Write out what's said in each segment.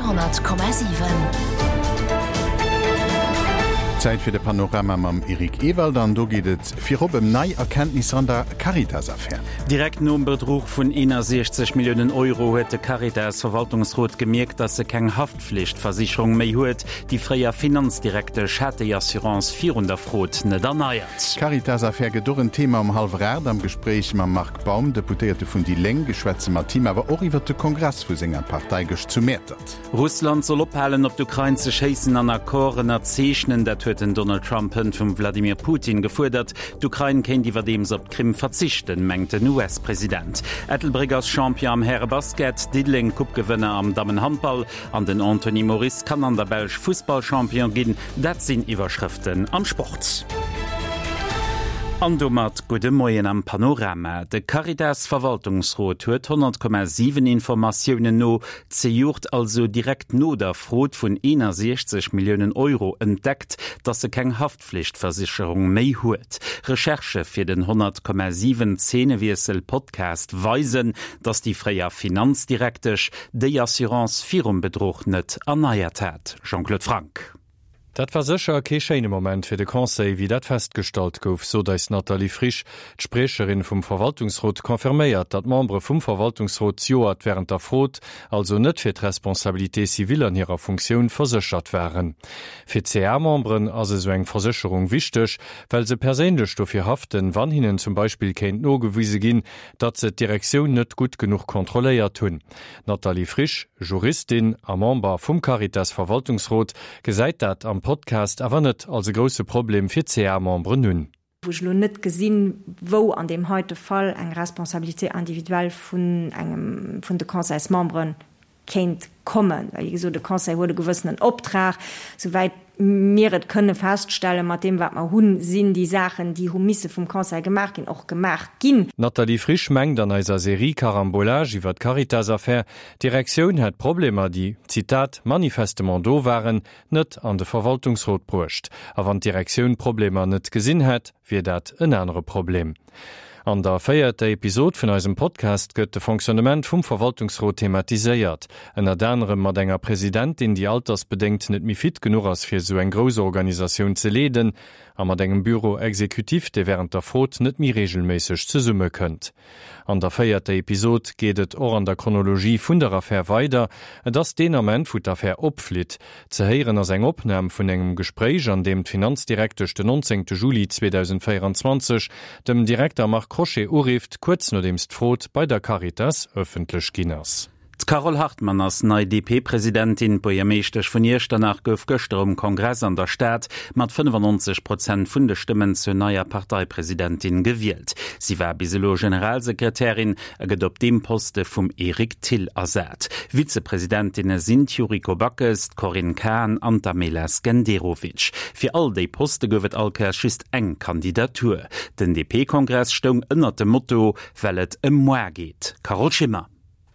100,7. Zäit fir de Panorama mam Eric Ewald an do geet et virop ëm nei Erkenntnisser an der Caritas-Affär. Direkt nom Bedruch vun 61 Milliounen Euro huet de Caritas-Verwaltungsrot gemierkt, datt e keng Haftflichtversicherung méi huet. Déi fréier Finanzdirektesch hat déi Assurance virun der Frod net erneiert. D'Caritas-Affär gëtt och en Thema um hallwer 8 am Gespréich mam Marc Baum, Deputéierte vun déi Lénk. Schwätze mat him awer och iwwer de Kongress vu senger Partei gëscht zu Mäertert. Russland soll ophalen op d'Ukrain ze schéissen an Accord ënnerzeechnen. Dat huet den Donald Trump hënt vum Vladimir Putin gefuerdert. D'Ukrain kéint iwwerdeems op d'Krim verzichten, mengt den US-President. Ettelbréck ass Champion am Härebasket, Diddeleng Coupe-Gewënner am Dammenhandball An den Anthony Moris kann an der Belsch Fussballchampion ginn. Dat sinn Iwwerschrëften am Sport. An domat gudde Moien am Panorama. De Caritas-Verwaltungsrot huet 100,7 Informatiounen no zejoert, also direkt no der Frod vun 61 Milliounen Euro, entdeckt, datt se keng Haftflichtversicherung méi huet. Recherchë fir den 100,7 Zeenewiessel-Podcast weisen, datt déi fréier Finanzdirektesch déi Assurance virum Bedruch net erneiert hat. Jean-Claude Franck. Dat war sécher kee schéine Moment fir de Conseil, wéi dat festgestallt gouf, sot eis d'Nathalie Frisch. D'Spriecherin vum Verwaltungsrot confirméiert, datt d'Membere vum Verwaltungsrot d'Joert wärend der Frod, also net fir d'Responsabilité civile an hirer Funktioun, verséchert waren. Fir d'CA-Memberen ass esou eng Versécherung wichteg, well se perséinlech dofir haften, wann hinnen zum Beispill kéint nogewise ginn, datt se d'Direktioun net gutt genuch kontrolléiert hunn. D'Nathalie Frisch, Juristin a Member vum Caritas-Verwaltungsrot, gesäit dat am Podcast awer net als e grousse Problem fir d'CA-Memberen un. Wou ech elo net gesinn, wou an deem heite Fall eng Responsabilité individuelle vun engem vun de Conseilsmembere kéint kommen. Well, wéi gesot, de Conseil huet e gewëssenen Optrag. Souwäit mir et kënne feststellen, mat deem, wat mer hunn, sinn déi Saachen, déi hu misse vum Conseil gemaach ginn, och gemaach ginn. D'Nathalie Frisch mengt an eiser Serie Carambolage iwwer d'Caritas-Affär, d'Direktioun hätt d'Problemer, déi, Zitat, manifestement do waren, net an de Verwaltungsrot bruecht. A wann d'Direktioun d'Problemer net gesinn hätt, wier dat en anere Problem. An der véierter Episod vun eisem Podcast gëtt de Fonctionnement vum Verwaltungsrot thematiséiert. Ënnert anerem mat enger Presidentin, déi altersbedéngt net méi fit genuch ass fir esou eng grouss Organisatioun ze leeden, a mat engem Bureau exécutif, dee wärend der Frot net méi reegelméisseg zesummekënnt. An der véierter Episod geet et och an der Chronologie vun der Affär weider. Et ass deen Ament, wou d'Affär opflitt. Ze héieren ass eng Opnam vun engem Gespréich, an deem d'Finanzdirektesch den 19 Juli 2024 dem Direkter Marc Crochet urifft, kuerz nodeems d'Frod bei der Caritas ëffentlech ginn ass. D'Carole Hartmann ass nei DP-Presidentin. D'Buergermeeschtesch vun Iechternach gouf gëschter um Kongress an der Stad mat 95 Prozent vun de Stëmmen zur neier Parteipresidentin gewielt. Si war bis elo Generalsekretärin a gëtt op deem Poste vum Eric Thill ersat. Vizepresidentinne sinn d'Yuriko Backes, d'Corinne Cahen an d'Amela Skenderovic. Fir all déi Poste gouf et all Kéiers just eng Kandidatur. Den DP-Kongress stoung ënnert dem Motto Well et ëm moi geet. Carole Schimmer.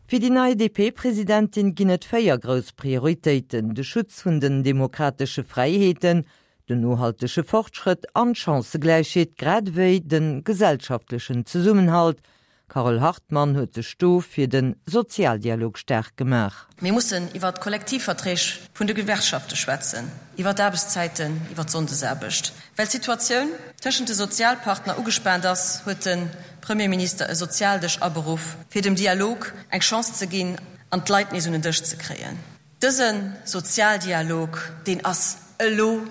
Fir déi nei DP-Presidentin ginn et 4 grouss Prioritéiten, de Schutz vun den demokratesche Fräiheeten, den nohaltege Fortschrëtt an d'Chancëgläichheet, grad ewéi de gesellschaftlechen Zesummenhalt. D'Carole Hartmann huet sech do fir de Sozialdialog staark gemaach. Mir mussen iwwer d'Kollektivverträg vun de Gewerkschafte schwätzen, iwwer d'Aarbechtszäiten, iwwer d'Sonndesaarbecht. Well d'Situatioun tëschent de Sozialpartner ugespaant ass, huet de Premierminister e Sozialdësch aberuff, fir dem Dialog eng Chance ze ginn an d'Leit nees un en Dësch ze kréien. Dëse Sozialdialog, deen ass elo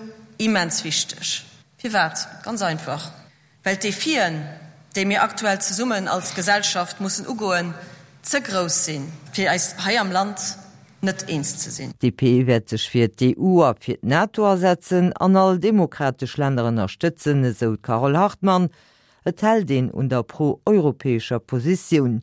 immens wichteg. Firwat? Ganz einfach, Well d'Defien, déi mir aktuell zesummen als Gesellschaft mussen ugoen, ze grouss sinn, fir eis hei am Land net eens ze sinn. D'DP wäert sech fir d'EU a fir d'NATO asetzen an all demokratesch Länner ënnerstëtzen, esou d'Carole Hartmann. Et hält een un der pro-europäescher Positioun.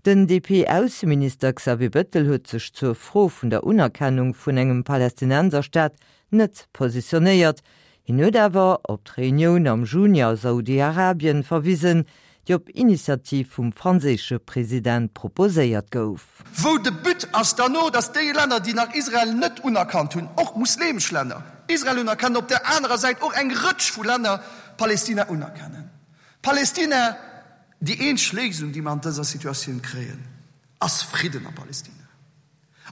Den DP-Ausseminister Xavier Bettel huet sech zur Fro vun der Unerkennung vun engem Palästinenserstaat net positionéiert. Hien huet awer op d'Reunioun am Juni a Saudi-Arabien verwisen, déi op Initiativ vum franséische President proposéiert gouf. Wou de But ass derno, datt déi Länner, déi nach Israel net unerkannt hunn, och muslemesch Länner, Israel unerkennen, op där anerer Säit och eng Rëtsch vu Länner Palestina unerkennen. Palestina, déi eenzeg Léisung, déi mer an dëser Situatioun kréien, ass Fridden a Palestina.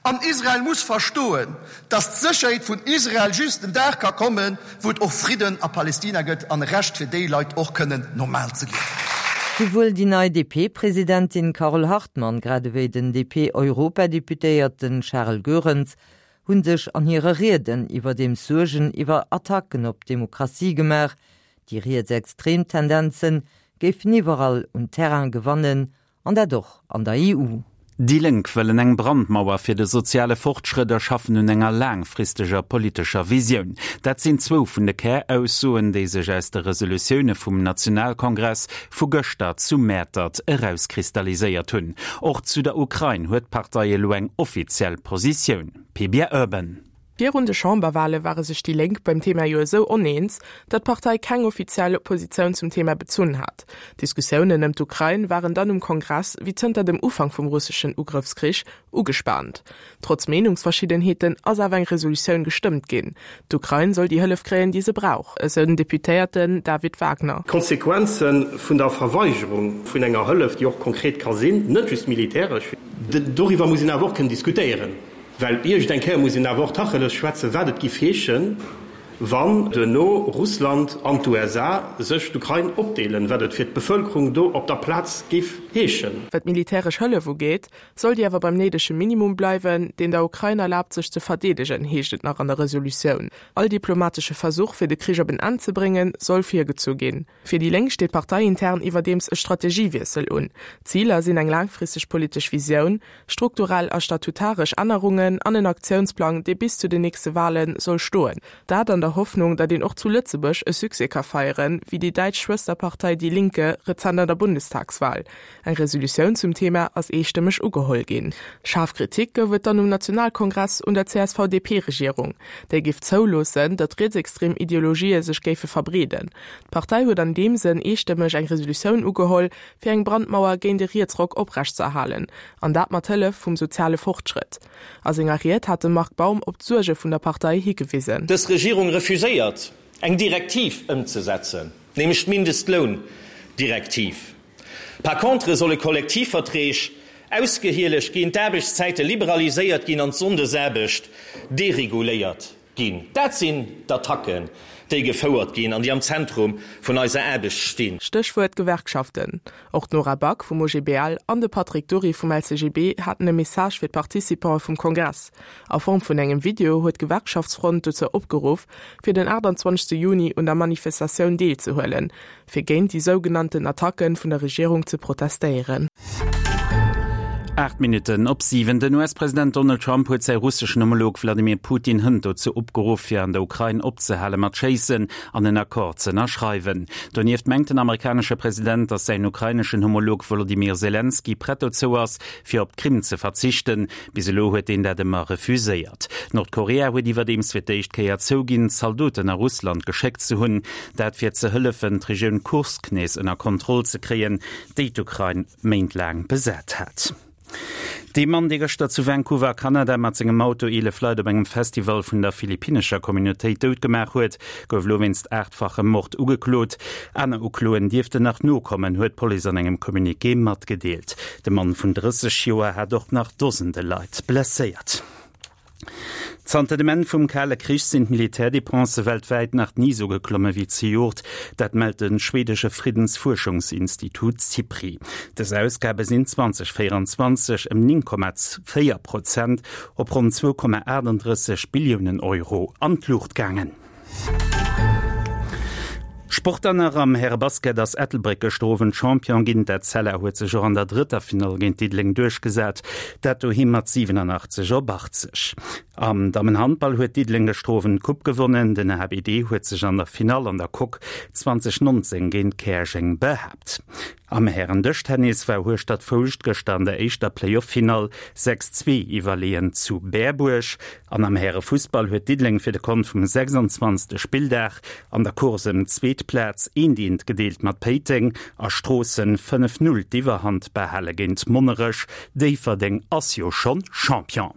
An Israel muss verstoen, dass d'Sécherheet vun Israel just den Dag ka kommen, wou et och Fridden a Palestina gëtt an e Recht fir déi Leit och kënnen normal ze liewen. Souwuel déi nei DP-Presidentin Carole Hartmann grad ewéi den DP-Europadeputéierten Charel Goerens hu sech an hire Rieden iwwerdeems Suergen iwwer Attacken op d'Demokratie gemaach. Déi rietsextrem Tendenze géifen iwwerall un Terrain gewannen An dat och an der EU. Déi Lénk wëllen eng Brandmauer fir de soziale Fortschrëtt a schaffen un enger laangfristeger politescher Visioun. Dat sinn zwou vun de Käraussoen, déi sech aus de Resolutioune vum Nationalkongress vu gëschter zu Mäertert erauskristalliséiert hunn. Och zu der Ukrain huet d'Partei elo eng offiziell Positioun. Pia Urban. Virun de Chamberwale ware sech déi Lénk beim Thema jo esou oneens, datt d'Partei keng offiziell Positioun zum Thema bezunn hat. D'Diskussiounen ëm d'Ukrain waren dann um Kongress, wéi zënter dem Ufank vum russeschen Ugrëffskrich, ugespaant. Trotz Meenungsverschiddenheeten ass awer eng Resolutioun gestëmmt ginn. D'Ukrain soll déi Hëllef kréien, déi se brauch, esou den Deputéierten David Wagner. D'Konsequenze vun der Verweigerung vun enger Hëllef, déi och konkret ka sinn, net just militäresch, doriwwer muss een awer och kënnen diskutéieren. Well iergend eng Kéier muss een awer och Tacheles schwätzen, wat et giff heeschen, wann duerno Russland an d'USA sech d'Ukrain opdeelen, wat et fir d'Bevölkerung do op der Plaz giff heeschen. Wat d'militäresch Hëllef ugeet, soll déi awer beim néidege Minimum bleiwen, deen der Ukrain erlaabt sech ze verdeedegen, heescht et nach an der Resolutioun. All diplomatesche Versuch fir de Krich op en Enn ze bréngen, soll virgezu ginn. Fir déi Lénk steet parteiintern iwwerdeems e Strategiewiessel un. D'Ziler sinn eng laangfristeg politesch Visioun, strukturell a statutaresch Ännerungen an en Aktiounsplang, dee bis zu den nächste Wale soll stoen. Dat an der Hoffnung, datt een och zu Lëtzebuerg e Succès ka feieren, wéi déi däitsch Schwësterpartei Die Linke rezent an der Bundestagswal. Eng Resolutioun zum Thema ass eestëmmeg ugeholl ginn. Schaarf Kritik gouf et dann um Nationalkongress un der CSV-DP-Regierung. Déi géif zouloossen, datt rietsextrem Ideologië sech géife verbreeden. D'Partei huet an deem Sënn eestëmmeg eng Resolutioun ugeholl, fir eng Brandmauer géint e Rietsrock oprechtzeerhalen, an dat mat Hëllef vum soziale Fortschrëtt. A senger Ried hat de Marc Baum op d'Suerge vun der Partei higewisen. Dës Regierung refuséiert, eng Direktiv ëmzesetzen, nämlech d'Mindestloundirektiv. Par contre solle Kollektivverträg ausgehielegt ginn, d'Aarbechtszäite liberaliséiert ginn an d'Sonndesaarbecht dereguléiert ginn. Dat sinn d'Attacken, déi gefouert ginn an déi am Zentrum vun eiser Aarbecht stinn. Stéchwuert Gewerkschaften. Och d'Nora Back vum OGBL an de Patrick Dury vum LCGB haten e Message fir d'Participante vum Kongress. A Form vun engem Video huet d'Gewerkschaftsfront dozou opgeruff, fir den 28 Juni un der Manifestatioun deelzehuelen, fir géint déi sougenannten Attacke vun der Regierung ze protestéieren. 8 Minutten op 7, Den US-President Donald Trump huet säi russeschen Homolog Wladimir Putin hënt dozou opgeruff, fir an der Ukrain opzehale mat schéissen an en Accord z'ënnerschreiwen. Donieft mengt den amerikanesche President, datt säin ukraineschen Homolog Wolodymyr Selenskyj prett dozou ass, fir op d'Krim ze verzichten. Bis elo huet deen dat ëmmer refuséiert. Nordkorea huet iwwerdeems fir d'éischt Kéier zouginn, Zaldoten a Russland geschéckt ze hunn. Dat fir ze hëllefen, d'Regioun Kursk nees ënner Kontroll ze kréien, déi d'Ukrain méintlaang besat hat. Dee Mann, dee gëschter zu Vancouver a Kanada mat sengem Auto 11 Leit op engem Festival vun der philippinnescher Communautéit dout gemaach huet, gouf elo wéinst aachtfachem Mord ugeklot. Aner Ukloen dierften nach nokommen, huet d'Police an engem Communiqué matgedeelt. De Mann vun 30 Joer hat och nach Dosende Leit blesséiert. Zanter dem Enn vum Kale Krich sinn d'Militärdepense weltwäit nach ni sou geklomme wéi zejoert. Dat mellt de schweedesche Friddensfuerschungsinstitut Sipri. Dës Ausgabe sinn 2024 ëm 9,4 Prozent op ronn 2,38 Billiounen Euro an d'Luucht gaangen. Sport dann nach, Am Härebasket ass Ettelbréck gëschter Owend Champion ginn. D'Etzella huet sech och an der drëtter Finall géint Diddeleng duerchgesat, dat doheem mat 87 op 80. Am Dammenhandball huet Diddeleng gëschter Owend d'Coupe gewonnen. Den HBD huet sech an der Finall an der Coque 2019 géint Käerjeng behaapt. Am Hären-Dëschtennis war Hueschtert-Foulscht gëschter an der éischter Play-off-Finall 6, 2 iwwerleeën zu Berbuerg. An am Härefussball huet Diddeleng fir de Kont vum 26. Spilldag an der Course ëm d'zweet Plaz eent eent gedeelt mat Péiteng a Stroossen 5, 0 d'Iwwerhand behale géint Monnerech. Déifferdeng ass jo schonn Champion.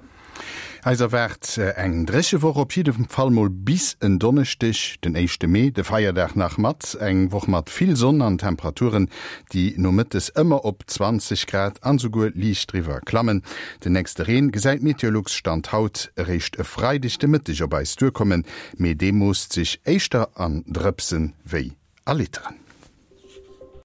Eis erwaart eng dréche Woch, op jidde Fall mol bis en Donneschdeg, den éischte Mee, de Feierdag nach mat. Eng Woch mat vill Sonn an Temperaturen, déi nomëttes ëmmer op 20 Grad an esouguer liicht driwwer klammen. Den nächste Reen gesäit Meteolux Stand haut eréischt e Freideg de Mëtteg op eis duerkommen, mee dee moosst sech éischter an Drëpsen wéi a Literen.